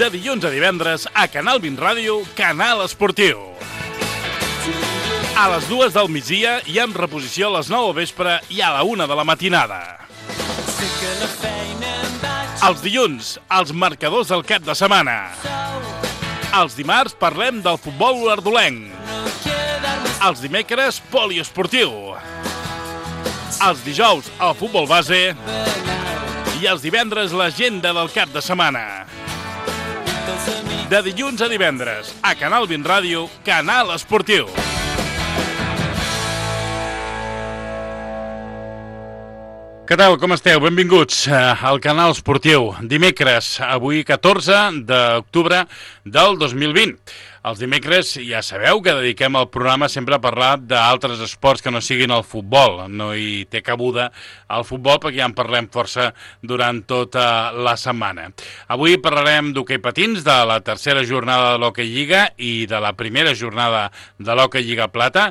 De dilluns a divendres a Canal 20 Ràdio, Canal Esportiu. A les 2 del migdia i en reposició a les 9 del vespre i a la 1 de la matinada. Els dilluns, els marcadors del cap de setmana. Els dimarts parlem del futbol olordolenc. Els dimecres, poliesportiu. Els dijous, el futbol base. I els divendres, l'agenda del cap de setmana. De dilluns a divendres, a Canal 20 Ràdio, Canal Esportiu. Què tal, com esteu? Benvinguts al Canal Esportiu. Dimecres, avui 14 d'octubre del 2020. Els dimecres ja sabeu que dediquem el programa sempre a parlar d'altres esports que no siguin el futbol. No hi té cabuda el futbol perquè ja en parlem força durant tota la setmana. Avui parlarem d'hoquei patins, de la tercera jornada de l'Hockey Lliga i de la primera jornada de l'Hockey Lliga Plata.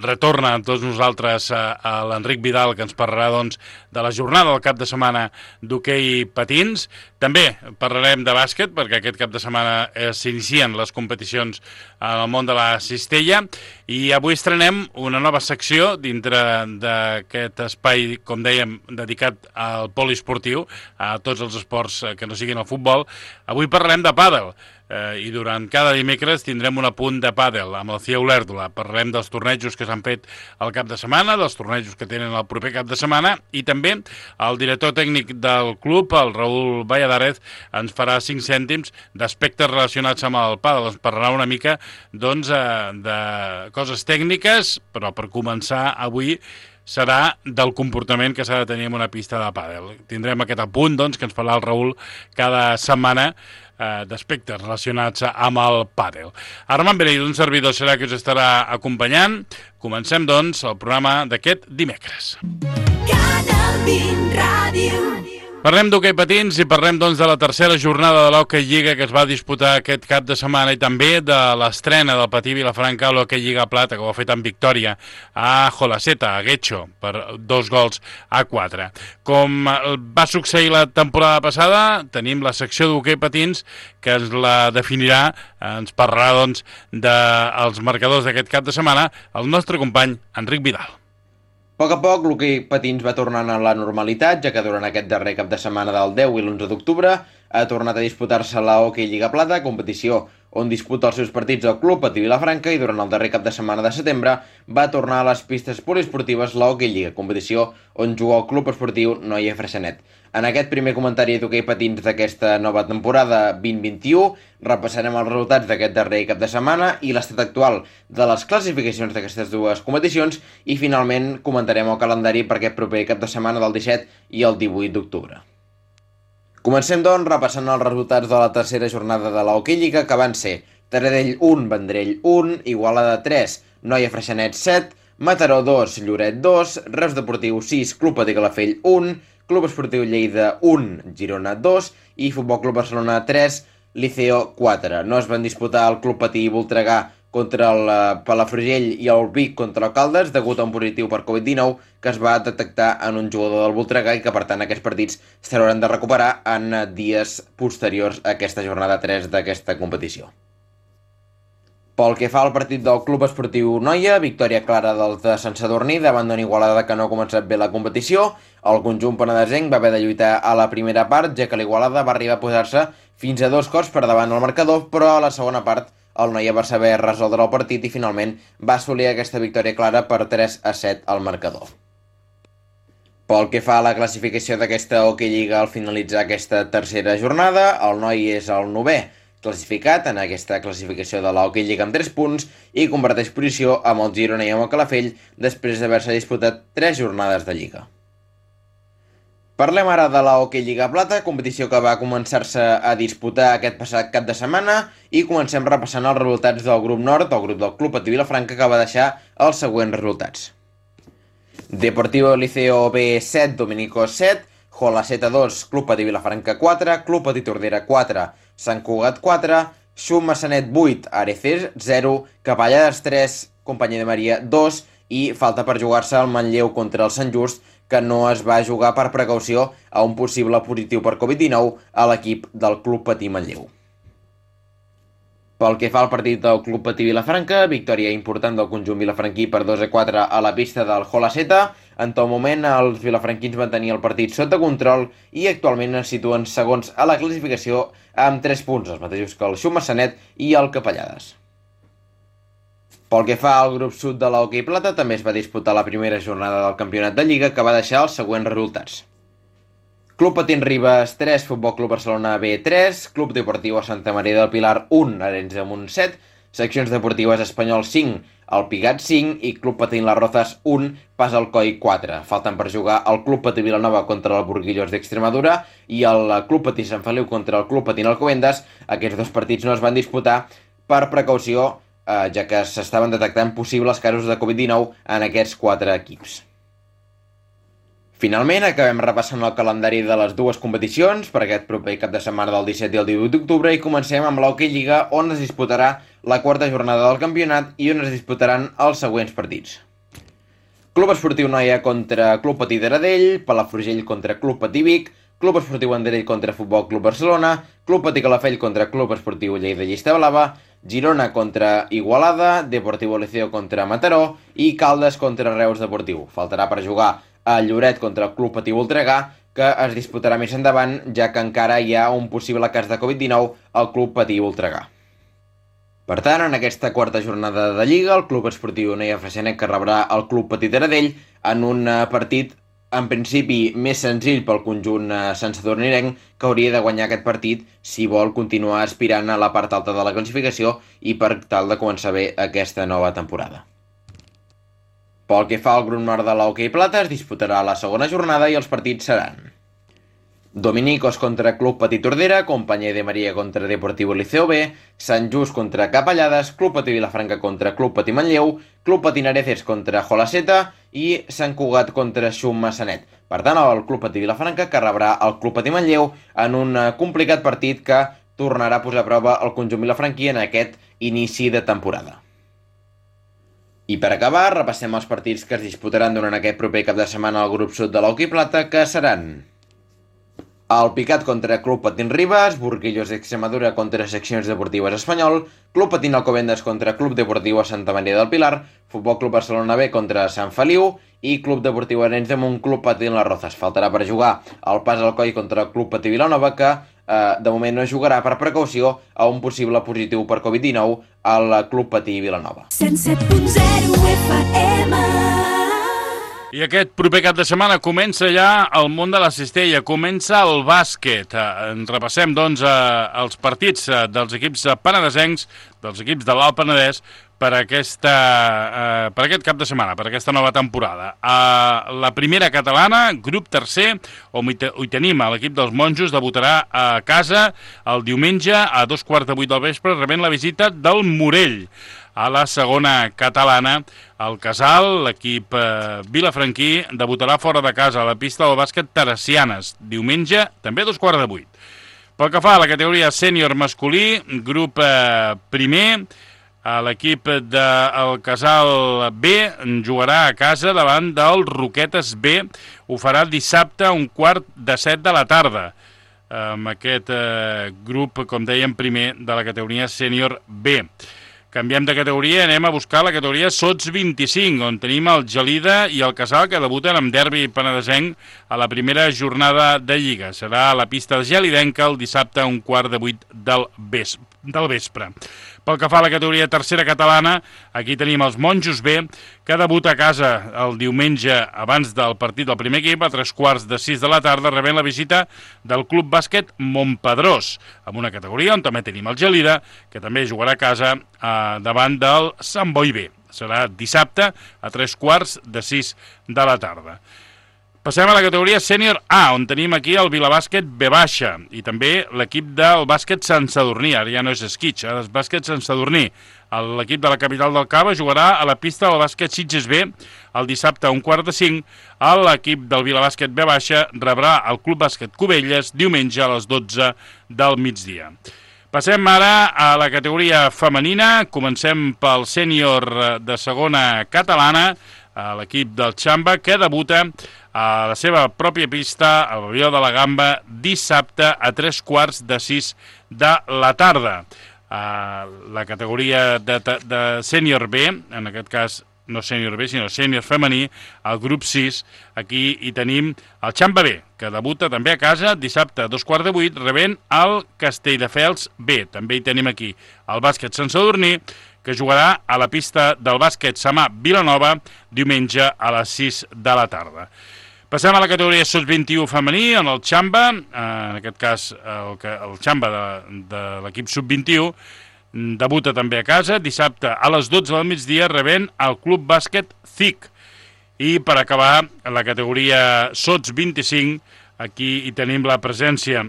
Retorna amb tots nosaltres a l'Enric Vidal, que ens parlarà doncs, de la jornada del cap de setmana d'hoquei patins. També parlarem de bàsquet, perquè aquest cap de setmana s'inicien les competicions en el món de la cistella, i avui estrenem una nova secció dintre d'aquest espai, com dèiem, dedicat al poliesportiu, a tots els esports que no siguin el futbol. Avui parlarem de pàdel. I durant cada dimecres tindrem un apunt de pàdel amb el Cia Olèrdola. Parlarem dels tornejos que s'han fet el cap de setmana, dels tornejos que tenen el proper cap de setmana, i també el director tècnic del club, el Raül Valladares, ens farà 5 cèntims d'aspectes relacionats amb el pàdel. Ens parlarà una mica doncs, de coses tècniques, però per començar avui serà del comportament que s'ha de tenir en una pista de pàdel. Tindrem aquest apunt doncs, que ens farà el Raül cada setmana d'aspectes relacionats amb el pàdel. Armand Beneit, un servidor, serà que us estarà acompanyant. Comencem, doncs, el programa d'aquest dimecres. Canal 20 Ràdio. Parlem d'hoquei patins i parlem doncs, de la tercera jornada de l'Hockey Lliga que es va disputar aquest cap de setmana i també de l'estrena del Patí Vilafranca a l'Hockey Lliga Plata, que ho ha fet amb victòria a Jolaceta, a Guecho, per 2-4. Com va succeir la temporada passada, tenim la secció d'hoquei patins que ens la definirà, ens parlarà doncs, dels marcadors d'aquest cap de setmana el nostre company Enric Vidal. A poc, l'hoquei patins va tornant a la normalitat, ja que durant aquest darrer cap de setmana del 10 i l'11 d'octubre ha tornat a disputar-se la Hockey Lliga Plata, competició on disputa els seus partits el club Patí Vilafranca, i durant el darrer cap de setmana de setembre va tornar a les pistes poliesportives la Hockey Lliga, competició on juga el club esportiu Noia Freixenet. En aquest primer comentari d'hoquei patins d'aquesta nova temporada 2021 repassarem els resultats d'aquest darrer cap de setmana i l'estat actual de les classificacions d'aquestes dues competicions, i finalment comentarem el calendari per aquest proper cap de setmana del 17 i el 18 d'octubre. Comencem, doncs, repassant els resultats de la tercera jornada de la Hockey Lliga, que van ser Taradell 1, Vendrell 1, Igualada 3, Noia Freixenet 7, Mataró 2, Lloret 2, Reus Deportiu 6, Club Patí Calafell 1, Club Esportiu Lleida 1, Girona 2 i Futbol Club Barcelona 3, Liceo 4. No es van disputar el Club Patí Voltregà contra el Palafrugell i el Vic contra el Caldes degut a un positiu per Covid-19 que es va detectar en un jugador del Voltregà i que per tant aquests partits s'hauran de recuperar en dies posteriors a aquesta jornada 3 d'aquesta competició. Pel que fa al partit del Club Esportiu Noia, victòria clara dels de Sant Sadurní davant d'una Igualada que no ha començat bé la competició. El conjunt penedesenc va haver de lluitar a la primera part, ja que l'Igualada va arribar a posar-se fins a 2 cops per davant del marcador, però a la segona part el Noia va saber resoldre el partit i finalment va assolir aquesta victòria clara per 3-7 al marcador. Pel que fa a la classificació d'aquesta Hockey Lliga al finalitzar aquesta tercera jornada, el Noia és el 9è classificat en aquesta classificació de la Hockey Lliga amb 3 punts i comparteix posició amb el Girona i amb el Calafell després d'haver-se disputat 3 jornades de Lliga. Parlem ara de la Hockey Lliga Plata, competició que va començar-se a disputar aquest passat cap de setmana, i comencem repassant els resultats del grup nord, el grup del Club Patí Vilafranca, que va deixar els següents resultats. Deportivo Liceo B 7, Dominico 7, Jolaceta 2, Club Patí Vilafranca 4, Club Patí Tordera 4, Sant Cugat 4, Xum Massanet 8, Areces 0, Capellades 3, Companyia de Maria 2 i falta per jugar-se el Manlleu contra el Sant Just, que no es va jugar per precaució a un possible positiu per Covid-19 a l'equip del Club Patí Manlleu. Pel que fa al partit del Club Patí Vilafranca, victòria important del conjunt vilafranquí per 2-4 a la pista del Holaceta. En tot moment, els vilafranquins van tenir el partit sota control i actualment es situen segons a la classificació amb 3 punts, els mateixos que el Xum Massanet i el Capellades. Pel que fa al grup sud de l'Hockey Plata, també es va disputar la primera jornada del campionat de Lliga, que va deixar els següents resultats. Club Patins Ribes 3, Futbol Club Barcelona B 3, Club Deportiu Santa Maria del Pilar 1, Arenys de Munt 7, Seccions Deportives Espanyol 5, el Pigat 5 i Club Patín Las Rozas 1, Pas al Coi 4. Falten per jugar el Club Patí Vilanova contra el Burguillos d'Extremadura i el Club Patí Sant Feliu contra el Club Patín Alcobendas. Aquests dos partits no es van disputar per precaució, ja que s'estaven detectant possibles casos de Covid-19 en aquests 4 equips. Finalment, acabem repassant el calendari de les dues competicions per aquest proper cap de setmana del 17 i el 18 d'octubre i comencem amb l'Hockey Lliga, on es disputarà la quarta jornada del campionat i on es disputaran els següents partits. Club Esportiu Noia contra Club Patí d'Aradell, Palafrugell contra Club Patí Vic, Club Esportiu Vendrell contra Futbol Club Barcelona, Club Patí Calafell contra Club Esportiu Lleida Llista Blava, Girona contra Igualada, Deportivo Liceo contra Mataró i Caldes contra Reus Deportiu. Faltarà per jugar a Lloret contra el Club Patí Voltregà, que es disputarà més endavant, ja que encara hi ha un possible cas de Covid-19 al Club Patí Voltregà. Per tant, en aquesta quarta jornada de Lliga, el Club Esportiu Noia Freixenet que rebrà el Club Patí d'Aradell en un partit, en principi, més senzill pel conjunt santsadornirenc, que hauria de guanyar aquest partit si vol continuar aspirant a la part alta de la classificació i per tal de començar bé aquesta nova temporada. Pel que fa al grup nord de l'Hockey Plata, es disputarà la segona jornada i els partits seran Dominicos contra Club Patí Tordera, Companyia de Maria contra Deportivo Liceo B, Sant Just contra Capellades, Club Patí Vilafranca contra Club Patí Manlleu, Club Patí Nareces contra Holaceta i Sant Cugat contra Xum Massanet. Per tant, el Club Patí Vilafranca que rebrà el Club Patí Manlleu en un complicat partit que tornarà a posar a prova el conjunt vilafranquí en aquest inici de temporada. I per acabar, repassem els partits que es disputaran durant aquest proper cap de setmana al grup sud de l'Hockey Plata, que seran el Picat contra Club Patins Ribes, Burguillos d'Extremadura contra Seccions Deportives Espanyol, Club Patín Alcobendas contra Club Deportiu Santa Maria del Pilar, Futbol Club Barcelona B contra Sant Feliu i Club Deportiu Arenys de Munt, Club Patín Las Rozas. Faltarà per jugar el Pas al Coi contra el Club Patí Vilanova, que de moment no jugarà per precaució a un possible positiu per Covid-19 al Club Patí Vilanova. 107.0 FM. I aquest proper cap de setmana comença ja el món de la cistella, comença el bàsquet. Repassem, doncs, els partits dels equips penedesencs, dels equips de l'Alt Penedès, per aquest cap de setmana, per aquesta nova temporada. La primera catalana, grup tercer, on hi tenim l'equip dels monjos, debutarà a casa el diumenge a 2:15 del vespre, rebent la visita del Morell. A la segona catalana, el Casal, l'equip vilafranquí, debutarà fora de casa a la pista del bàsquet Teresianes, diumenge, també a 7:15. Pel que fa a la categoria sènior masculí, grup primer, l'equip del Casal B jugarà a casa davant del Roquetes B, ho farà dissabte a 6:15 de la tarda, amb aquest grup, com dèiem, primer de la categoria sènior B. Canviem de categoria, anem a buscar la categoria Sots 25, on tenim el Gelida i el Casal, que debuten amb derbi penedesenc a la primera jornada de Lliga. Serà a la pista gelidenca el dissabte a 7:15 del vespre. Pel que fa a la categoria tercera catalana, aquí tenim els Monjos B, que debuta a casa el diumenge abans del partit del primer equip, a 5:45 de la tarda, rebent la visita del Club Bàsquet Montpedrós, amb una categoria on també tenim el Gelida, que també jugarà a casa davant del Sant Boi B. Serà dissabte a 5:45 de la tarda. Passem a la categoria sènior A, on tenim aquí el Vilabàsquet B baixa i també l'equip del bàsquet Sant Sadurní. Ara ja no és esquitx, ara és bàsquet Sant Sadurní. L'equip de la capital del Cava jugarà a la pista del bàsquet Sitges B el dissabte a 4:45. L'equip del Vilabàsquet B baixa rebrà el Club Bàsquet Cubelles diumenge a les 12 del migdia. Passem ara a la categoria femenina. Comencem pel sènior de segona catalana, l'equip del Xamba, que debuta a la seva pròpia pista, al pavelló de la Gamba, dissabte a 5:45 de la tarda. la categoria de sènior B, en aquest cas no sènior B, sinó sènior femení, al grup 6. Aquí hi tenim el Xamba B, que debuta també a casa dissabte a 7:15, rebent el Castelldefels B. També hi tenim aquí el bàsquet Sant Sadurní, que jugarà a la pista del bàsquet Samà Vilanova diumenge a les 6 de la tarda. Passem a la categoria Sub-21 femení, en el Xamba, en aquest cas el Xamba de l'equip Sub-21, debuta també a casa, dissabte a les 12 del migdia, rebent el Club Bàsquet CIC. I per acabar, la categoria Sots 25, aquí hi tenim la presència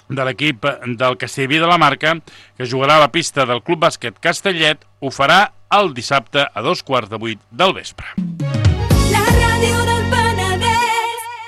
de l'equip del Castellví de la Marca, que jugarà a la pista del Club Bàsquet Castellet, ho farà el dissabte a 7:15 del vespre. La ràdio del Penedès.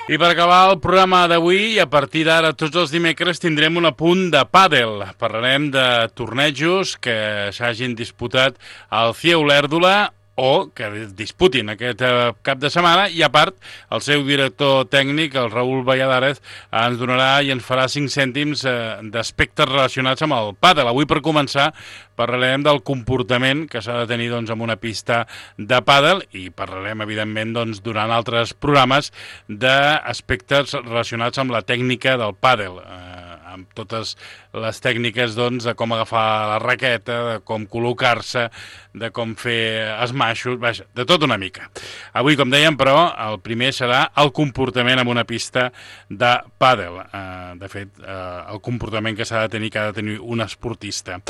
I per acabar el programa d'avui, a partir d'ara tots els dimecres tindrem un apunt de pàdel. Parlarem de tornejos que s'hagin disputat al CIE Olèrdola o que disputin aquest cap de setmana, i a part el seu director tècnic, el Raül Valladares, ens donarà i ens farà 5 cèntims d'aspectes relacionats amb el pàdel. Avui, per començar, parlarem del comportament que s'ha de tenir en una pista de pàdel, i parlarem, evidentment, durant altres programes d'aspectes relacionats amb la tècnica del pàdel, amb totes les tècniques de com agafar la raqueta, de com col·locar-se, de com fer esmaixos, vaja, de tot una mica. Avui, com dèiem, però, el primer serà el comportament en una pista de pàdel. De fet, el comportament que s'ha de tenir un esportista.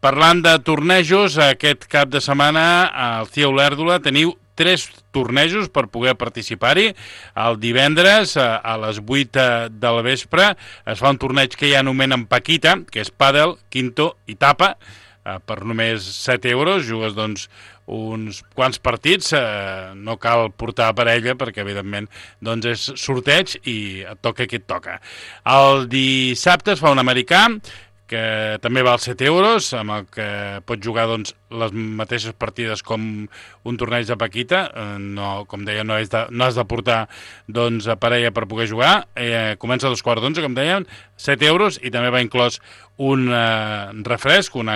Parlant de tornejos, aquest cap de setmana al CIE Olèrdola teniu 3 tornejos per poder participar-hi. El divendres, a les 8 del vespre, es fa un torneig que ja anomenen Paquita, que és pàdel, quinto i tapa, per només 7 euros. Jugues, uns quants partits, no cal portar parella perquè, evidentment, és sorteig i et toca qui et toca. El dissabte es fa un americà, que també val 7 euros, amb el que pots jugar les mateixes partides com un torneig de Paquita. No, com deia, no has de portar a parella per poder jugar. Comença a 2:15, com deien, 7 euros, i també va inclòs un refresc, un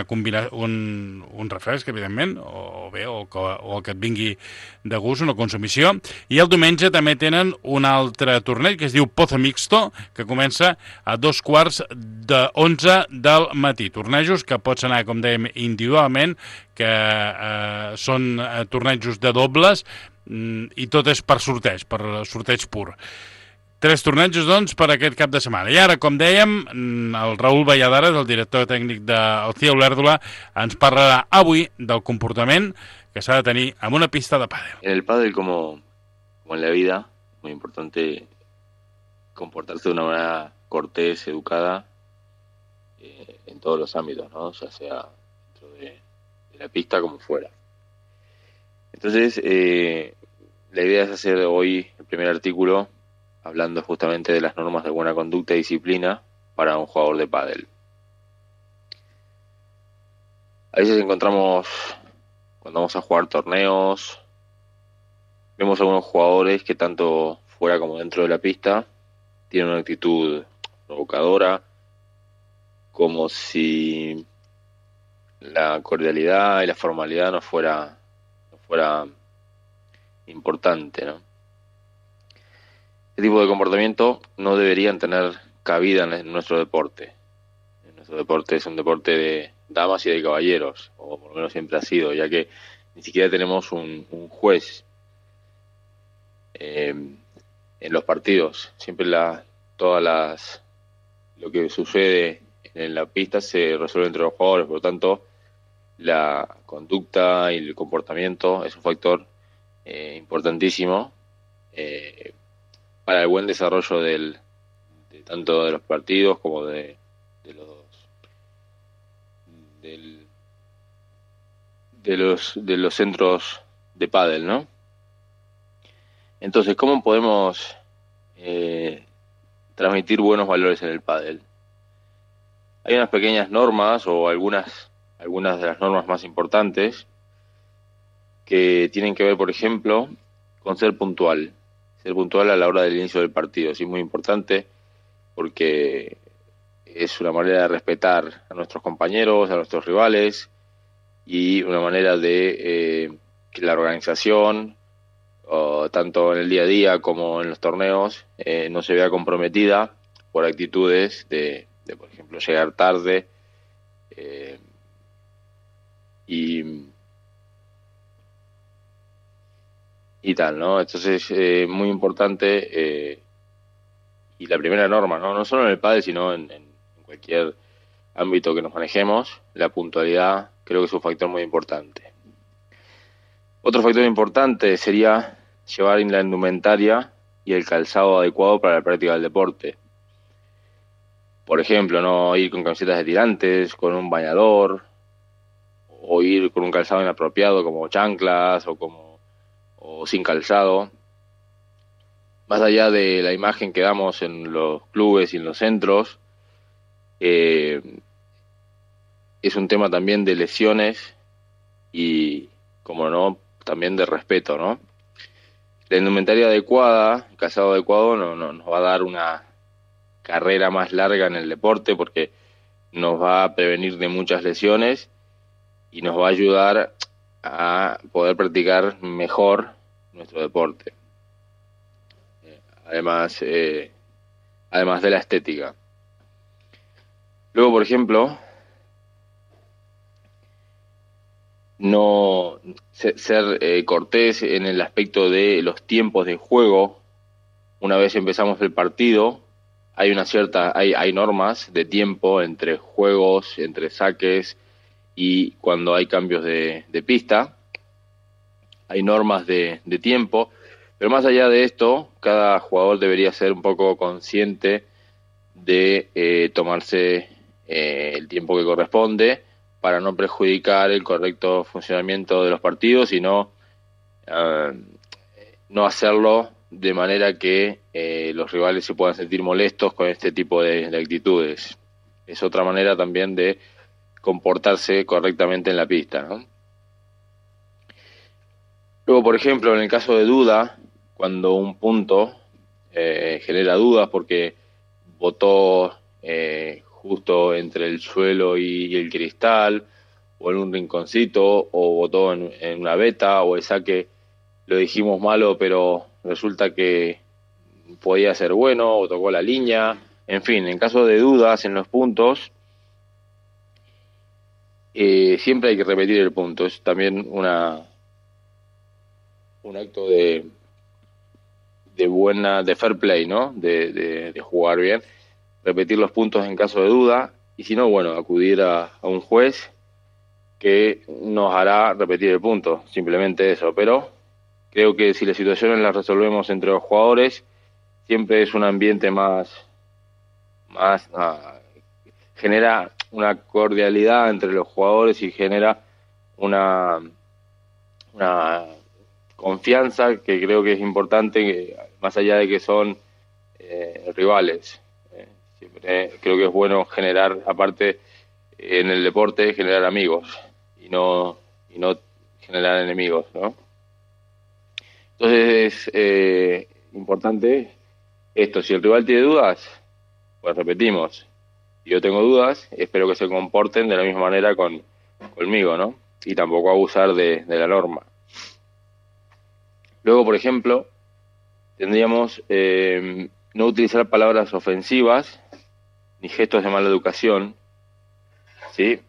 refresc, evidentment, o el que et vingui de gust, una consumició. I el diumenge també tenen un altre torneig que es diu Pozo Mixto, que comença a 9:45 del matí. Tornejos que pots anar, com dèiem, individualment, que són tornejos de dobles, i tot és per sorteig pur. 3 tornejos, per aquest cap de setmana. I ara, com dèiem, el Raül Valladares, el director tècnic del CIE Olèrdola, ens parlarà avui del comportament que s'ha de tenir en una pista de pàdel. En el pádel, como en la vida, muy importante comportarse de una manera cortés, educada, en todos los ámbitos, ¿no? Ya sea dentro de la pista como fuera. Entonces, la idea es hacer hoy el primer artículo hablando justamente de las normas de buena conducta y disciplina para un jugador de pádel. A veces encontramos, cuando vamos a jugar torneos, vemos algunos jugadores que tanto fuera como dentro de la pista tienen una actitud provocadora, como si la cordialidad y la formalidad no fuera importante, ¿no? Este tipo de comportamiento no deberían tener cabida en nuestro deporte. Nuestro deporte es un deporte de damas y de caballeros, o por lo menos siempre ha sido, ya que ni siquiera tenemos un juez en los partidos. Siempre lo que sucede en la pista se resuelve entre los jugadores, por lo tanto la conducta y el comportamiento es un factor importantísimo para el buen desarrollo tanto de los partidos como de los centros de pádel, ¿no? Entonces, ¿cómo podemos transmitir buenos valores en el pádel? Hay unas pequeñas normas, o algunas de las normas más importantes, que tienen que ver, por ejemplo, con ser puntual a la hora del inicio del partido. Sí, es muy importante porque es una manera de respetar a nuestros compañeros, a nuestros rivales, y una manera de que la organización, tanto en el día a día como en los torneos, no se vea comprometida por actitudes de por ejemplo, llegar tarde y tal, ¿no? Entonces, muy importante, y la primera norma, ¿no? No solo en el pádel, sino en cualquier ámbito que nos manejemos, la puntualidad creo que es un factor muy importante. Otro factor importante sería llevar la indumentaria y el calzado adecuado para la práctica del deporte. Por ejemplo, no ir con camisetas de tirantes, con un bañador, o ir con un calzado inapropiado como chanclas o sin calzado. Más allá de la imagen que damos en los clubes y en los centros, es un tema también de lesiones y, como no, también de respeto, ¿no? La indumentaria adecuada, el calzado adecuado, nos va a dar una carrera más larga en el deporte porque nos va a prevenir de muchas lesiones y nos va a ayudar a poder practicar mejor nuestro deporte. Además de la estética. Luego, por ejemplo, no ser cortés en el aspecto de los tiempos de juego. Una vez empezamos el partido, hay normas de tiempo entre juegos, entre saques y cuando hay cambios de pista. Hay normas de tiempo, pero más allá de esto, cada jugador debería ser un poco consciente de tomarse el tiempo que corresponde para no perjudicar el correcto funcionamiento de los partidos y no hacerlo de manera que los rivales se puedan sentir molestos con este tipo de actitudes. Es otra manera también de comportarse correctamente en la pista, ¿no? Luego, por ejemplo, en el caso de duda, cuando un punto genera dudas porque botó justo entre el suelo y el cristal, o en un rinconcito, o botó en una veta, o el saque lo dijimos malo, pero resulta que podía ser bueno, o tocó la línea. En fin, en caso de dudas en los puntos, siempre hay que repetir el punto. Es también un acto de fair play, ¿no? De jugar bien. Repetir los puntos en caso de duda, y si no, bueno, acudir a un juez que nos hará repetir el punto, simplemente eso. Pero creo que si las situaciones las resolvemos entre los jugadores, siempre es un ambiente más genera una cordialidad entre los jugadores y genera una confianza que creo que es importante, más allá de que son rivales. Siempre creo que es bueno generar, aparte en el deporte, generar amigos y no generar enemigos, ¿no? Entonces es importante esto. Si el rival tiene dudas, pues repetimos. Si yo tengo dudas, espero que se comporten de la misma manera conmigo, ¿no? Y tampoco abusar de la norma. Luego, por ejemplo, tendríamos no utilizar palabras ofensivas ni gestos de mala educación, ¿sí?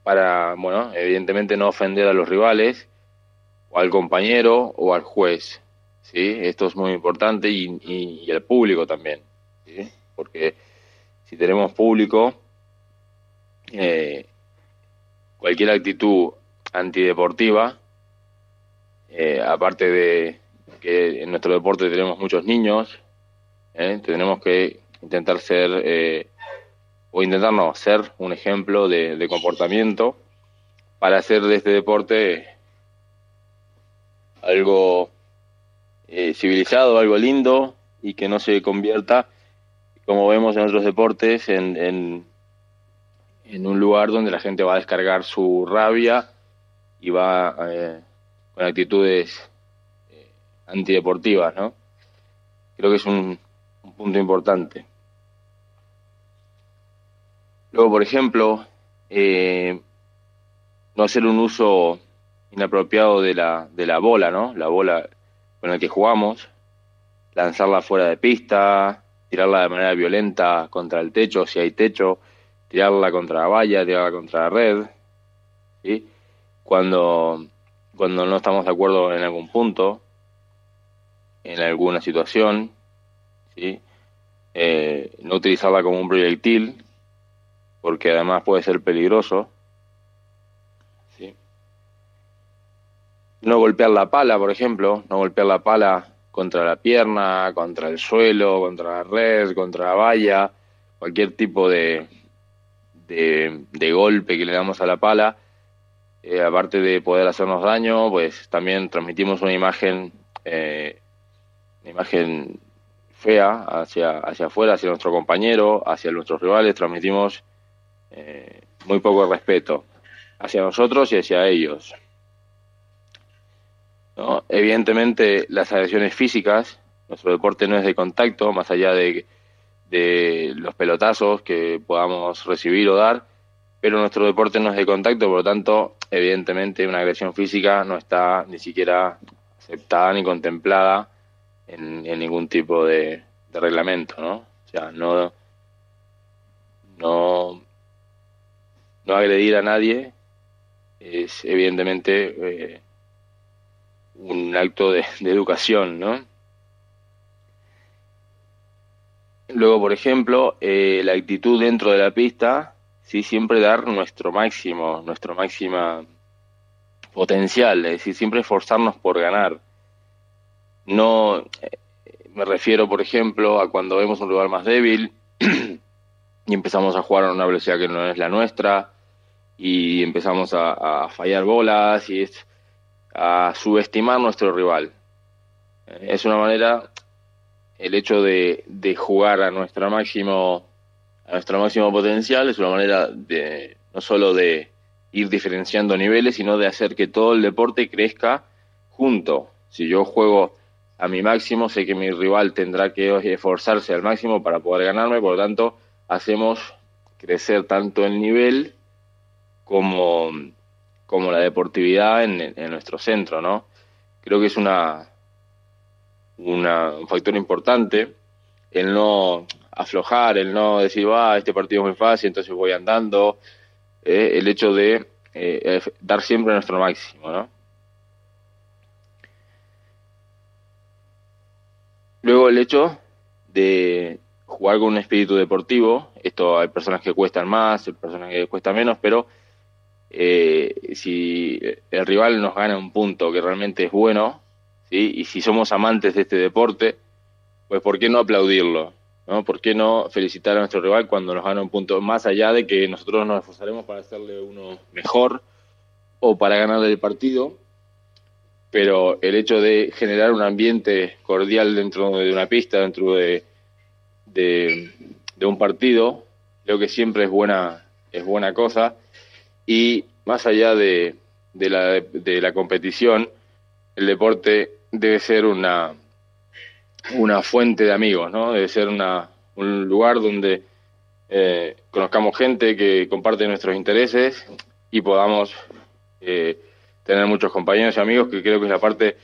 Para, bueno, evidentemente no ofender a los rivales, o al compañero, o al juez, ¿sí? Esto es muy importante, y al público también, ¿sí? Porque si tenemos público, cualquier actitud antideportiva, aparte de que en nuestro deporte tenemos muchos niños, tenemos que intentar ser un ejemplo de comportamiento para hacer de este deporte algo civilizado, algo lindo, y que no se convierta, como vemos en otros deportes, en un lugar donde la gente va a descargar su rabia y va con actitudes antideportivas, ¿no? Creo que es un punto importante. Luego, por ejemplo, no hacer un uso inapropiado de la bola, ¿no? La bola con la que jugamos, lanzarla fuera de pista, tirarla de manera violenta contra el techo, si hay techo, tirarla contra la valla, tirarla contra la red, ¿sí? Cuando no estamos de acuerdo en algún punto, en alguna situación, ¿sí? No utilizarla como un proyectil, porque además puede ser peligroso, ¿sí? No golpear la pala, por ejemplo, no golpear la pala contra la pierna, contra el suelo, contra la red, contra la valla, cualquier tipo de golpe que le damos a la pala, aparte de poder hacernos daño, pues también transmitimos una imagen fea hacia afuera, hacia nuestro compañero, hacia nuestros rivales, transmitimos muy poco respeto hacia nosotros y hacia ellos, ¿no? Evidentemente, las agresiones físicas, nuestro deporte no es de contacto, más allá de los pelotazos que podamos recibir o dar, pero nuestro deporte no es de contacto, por lo tanto, evidentemente, una agresión física no está ni siquiera aceptada ni contemplada en ningún tipo de reglamento, ¿no? O sea, no agredir a nadie es evidentemente un acto de educación, ¿no? Luego, por ejemplo, la actitud dentro de la pista, sí, siempre dar nuestra máxima potencial, es decir, siempre esforzarnos por ganar. No, me refiero, por ejemplo, a cuando vemos un rival más débil y empezamos a jugar a una velocidad que no es la nuestra y empezamos a fallar bolas y a subestimar nuestro rival. Es una manera, el hecho de jugar a nuestro máximo potencial es una manera de no solo de ir diferenciando niveles, sino de hacer que todo el deporte crezca junto. Si yo juego a mi máximo, sé que mi rival tendrá que esforzarse al máximo para poder ganarme, por lo tanto, hacemos crecer tanto el nivel como la deportividad en nuestro centro, ¿no? Creo que es un factor importante el no aflojar, el no decir, este partido es muy fácil, entonces voy andando, el hecho de dar siempre nuestro máximo, ¿no? Luego el hecho de jugar con un espíritu deportivo, esto hay personas que cuestan más, hay personas que cuestan menos, pero si el rival nos gana un punto que realmente es bueno, ¿sí? Y si somos amantes de este deporte, pues ¿por qué no aplaudirlo? ¿No? ¿Por qué no felicitar a nuestro rival cuando nos gana un punto? Más allá de que nosotros nos esforzaremos para hacerle uno mejor o para ganarle el partido, pero el hecho de generar un ambiente cordial dentro de una pista, dentro de un partido, creo que siempre es buena cosa. Y más allá de la competición, el deporte debe ser una fuente de amigos, ¿no? Debe ser un lugar donde conozcamos gente que comparte nuestros intereses y podamos tener muchos compañeros y amigos, que creo que es la parte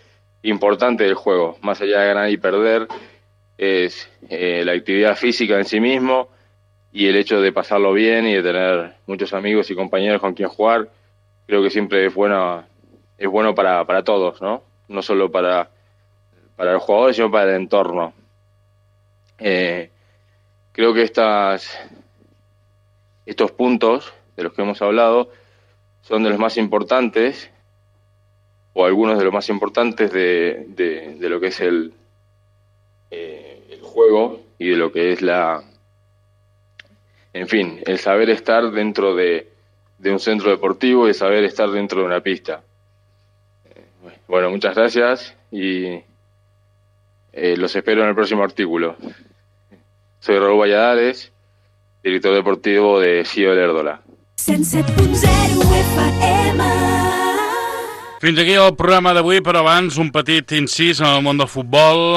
importante del juego. Más allá de ganar y perder, es la actividad física en sí mismo y el hecho de pasarlo bien y de tener muchos amigos y compañeros con quien jugar. Creo que siempre es bueno para todos, ¿no? No solo para los jugadores, sino para el entorno. Creo que estos puntos de los que hemos hablado son de los más importantes, o algunos de los más importantes de lo que es el juego y de lo que es el saber estar dentro de un centro deportivo y saber estar dentro de una pista. Bueno, muchas gracias y los espero en el próximo artículo. Soy Raúl Valladares, director deportivo de CIO Lerdola. 107.0 FM Fins aquí el programa d'avui, però abans un petit incís en el món del futbol.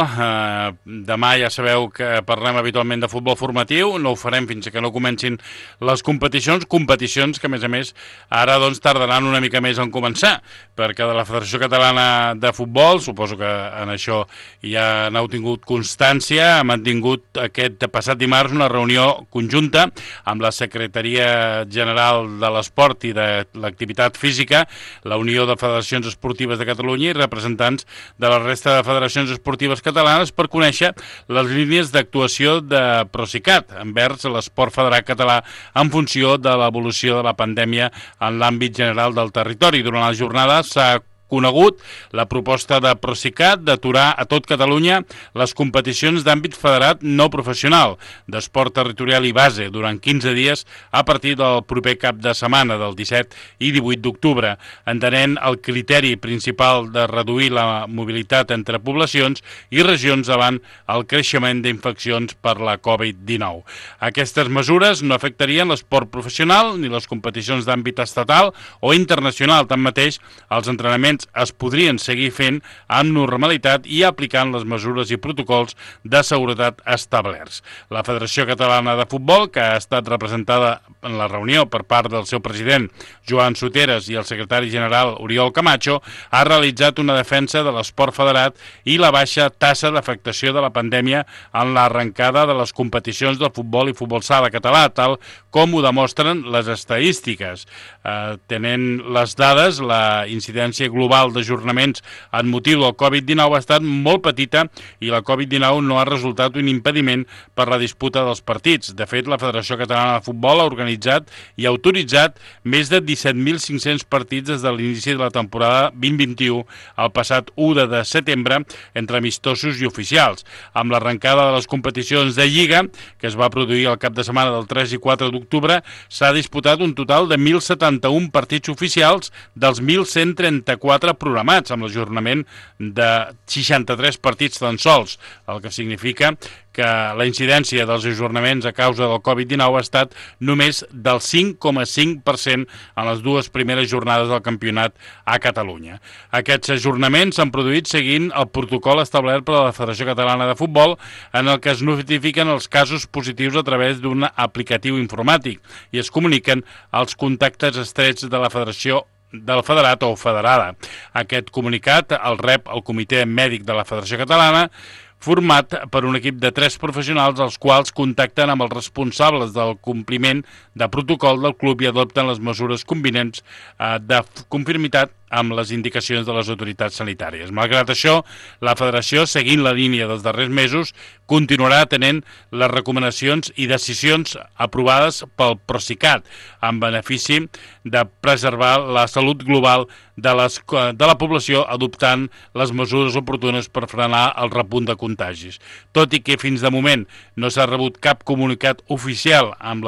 Demà ja sabeu que parlem habitualment de futbol formatiu, no ho farem fins que no comencin les competicions que a més ara doncs tardaran una mica més en començar, perquè de la Federació Catalana de Futbol, suposo que en això ja n'heu tingut constància, ha mantingut aquest passat dimarts una reunió conjunta amb la Secretaria General de l'Esport i de l'Activitat Física, la Unió de Federacions Esportives de Catalunya i representants de la resta de federacions esportives catalanes per conèixer les línies d'actuació de Procicat envers l'esport federat català en funció de l'evolució de la pandèmia en l'àmbit general del territori. Durant la jornada s'ha conegut la proposta de Procicat d'aturar a tot Catalunya les competicions d'àmbit federat no professional, d'esport territorial i base, durant 15 dies a partir del proper cap de setmana, del 17 i 18 d'octubre, entenent el criteri principal de reduir la mobilitat entre poblacions i regions davant el creixement d'infeccions per la Covid-19. Aquestes mesures no afectarien l'esport professional ni les competicions d'àmbit estatal o internacional. Tanmateix, els entrenaments es podrien seguir fent amb normalitat i aplicant les mesures i protocols de seguretat establerts. La Federació Catalana de Futbol, que ha estat representada en la reunió per part del seu president Joan Soteres i el secretari general Oriol Camacho, ha realitzat una defensa de l'esport federat i la baixa tassa d'afectació de la pandèmia en l'arrencada de les competicions del futbol i futbol sala català, tal com ho demostren les estadístiques. Tenint les dades, la incidència global d'ajornaments en motiu del Covid-19 ha estat molt petita i la Covid-19 no ha resultat un impediment per la disputa dels partits. De fet, la Federació Catalana de Futbol ha organitzat i autoritzat més de 17.500 partits des de l'inici de la temporada 2021 al passat 1 de setembre entre amistosos i oficials. Amb l'arrencada de les competicions de Lliga, que es va produir el cap de setmana del 3 i 4 d'octubre, s'ha disputat un total de 1.071 partits oficials dels 1.134 programats, amb l'ajornament de 63 partits tan sols, el que significa que la incidència dels ajornaments a causa del Covid-19 ha estat només del 5,5% en les dues primeres jornades del campionat a Catalunya. Aquests ajornaments s'han produït seguint el protocol establert per la Federació Catalana de Futbol, en el que es notifiquen els casos positius a través d'un aplicatiu informàtic i es comuniquen els contactes estrets de la Federació del federat o federada. Aquest comunicat el rep el Comitè Mèdic de la Federació Catalana, format per un equip de 3 professionals, els quals contacten amb els responsables del compliment de protocol del club i adopten les mesures convinents de conformitat amb les indicacions de les autoritats sanitàries. Malgrat això, la Federació, seguint la línia dels darrers mesos, continuarà atenent les recomanacions i decisions aprovades pel Procicat, en benefici de preservar la salut global de la població, adoptant les mesures oportunes per frenar el repunt de contagis. Tot i que fins de moment no s'ha rebut cap comunicat oficial amb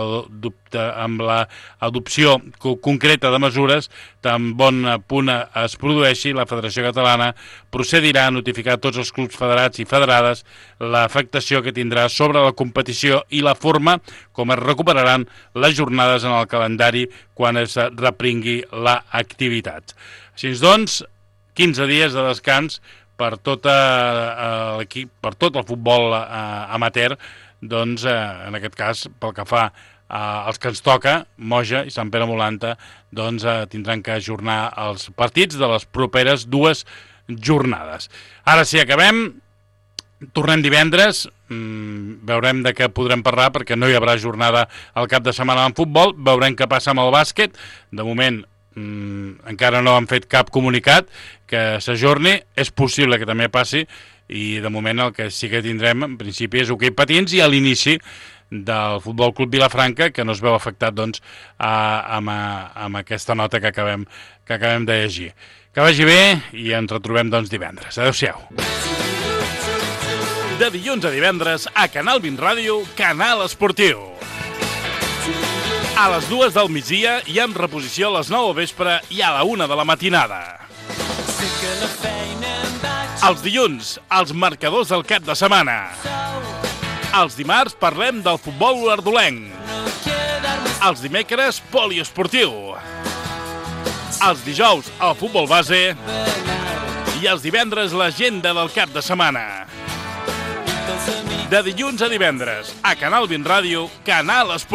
l'adopció concreta de mesures, tan bon punt es produeixi, la Federació Catalana procedirà a notificar a tots els clubs federats i federades l'afectació que tindrà sobre la competició i la forma com es recuperaran les jornades en el calendari quan es repringui l'activitat. Així doncs, 15 dies de descans per tot l'equip, per tot el futbol amateur, doncs en aquest cas, pel que fa els que ens toca, Moja i Sant Pere Molanta, doncs tindran que ajornar els partits de les properes 2 jornades. Ara sí, acabem. Tornem divendres, veurem de què podrem parlar perquè no hi haurà jornada al cap de setmana en futbol, veurem què passa amb el bàsquet. De moment encara no han fet cap comunicat que s'ajorni, és possible que també passi i de moment el que sí que tindrem en principi és hoquei patins i a l'inici del Futbol Club Vilafranca, que no es veu afectat doncs, amb aquesta nota que acabem de llegir. Que vagi bé i ens retrobem doncs, divendres. Adéu-siau. De dilluns a divendres a Canal 20 Ràdio, Canal Esportiu. A les 2 del migdia i amb reposició a les 9 del vespre i a la 1 de la matinada. Els dilluns, els marcadors del cap de setmana. Els dimarts parlem del futbol olordolenc. Els dimecres, poliesportiu. Els dijous, el futbol base. I els divendres, l'agenda del cap de setmana. De dilluns a divendres, a Canal 20 Ràdio, Canal Esportiu.